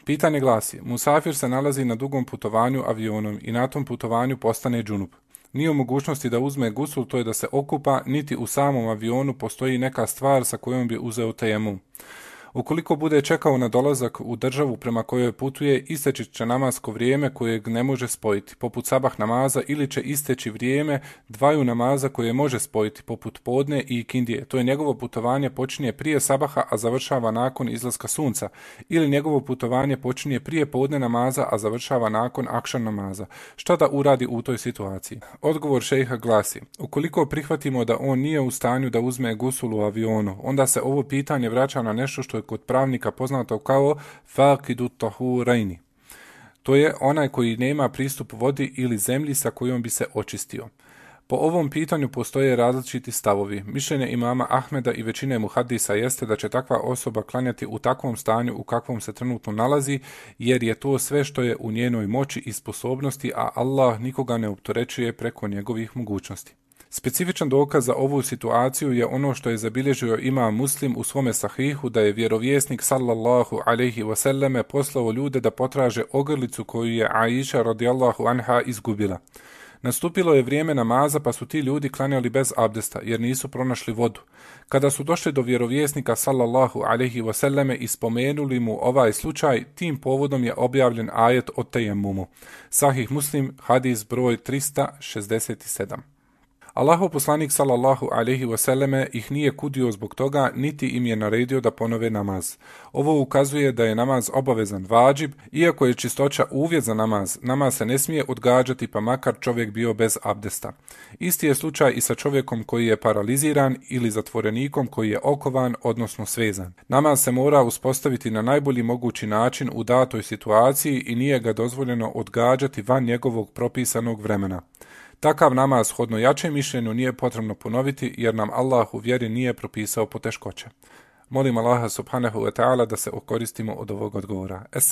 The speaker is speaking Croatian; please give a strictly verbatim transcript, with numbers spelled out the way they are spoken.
Pitanje glasi, musafir se nalazi na dugom putovanju avionom i na tom putovanju postane džunup. Nije u mogućnosti da uzme gusul, to je da se okupa, niti u samom avionu postoji neka stvar sa kojom bi uzeo tejemum. Ukoliko bude čekao na dolazak u državu prema kojoj putuje, isteći će namasko vrijeme kojeg ne može spojiti, poput sabah namaza, ili će isteći vrijeme dvaju namaza koje može spojiti, poput podne i ikindije. To je njegovo putovanje počinje prije sabaha, a završava nakon izlaska sunca, ili njegovo putovanje počinje prije podne namaza, a završava nakon akšan namaza. Šta da uradi u toj situaciji? Odgovor šejha glasi, ukoliko prihvatimo da on nije u stanju da uzme gusul u avionu, onda se ovo pitanje vraća na nešto što je kod pravnika poznato kao faqidu tahurajni. To je onaj koji nema pristup vodi ili zemlji sa kojom bi se očistio. Po ovom pitanju postoje različiti stavovi. Mišljenje imama Ahmeda i većine muhadisa jeste da će takva osoba klanjati u takvom stanju u kakvom se trenutno nalazi, jer je to sve što je u njenoj moći i sposobnosti, a Allah nikoga ne opterećuje preko njegovih mogućnosti. Specifičan dokaz za ovu situaciju je ono što je zabilježio imam Muslim u svome sahihu, da je vjerovjesnik sallallahu alejhi ve selleme poslao ljude da potraže ogrlicu koju je Aisha radijallahu anha izgubila. Nastupilo je vrijeme namaza, pa su ti ljudi klanjali bez abdesta jer nisu pronašli vodu. Kada su došli do vjerovjesnika sallallahu alejhi ve selleme i spomenuli mu ovaj slučaj, tim povodom je objavljen ajet o tejemumu. Sahih Muslim, hadis broj trista šezdeset sedam. Allahov poslanik sallallahu alejhi ve selleme ih nije kudio zbog toga, niti im je naredio da ponove namaz. Ovo ukazuje da je namaz obavezan vadžib, iako je čistoća uvjet za namaz. Namaz se ne smije odgađati, pa makar čovjek bio bez abdesta. Isti je slučaj i sa čovjekom koji je paraliziran ili zatvorenikom koji je okovan, odnosno svezan. Namaz se mora uspostaviti na najbolji mogući način u datoj situaciji i nije ga dozvoljeno odgađati van njegovog propisanog vremena. Takav namaz shodno jačem mišljenju nije potrebno ponoviti jer nam Allah u vjeri nije propisao poteškoće. Molim Allaha subhanahu wa ta'ala da se okoristimo od ovog odgovora. Es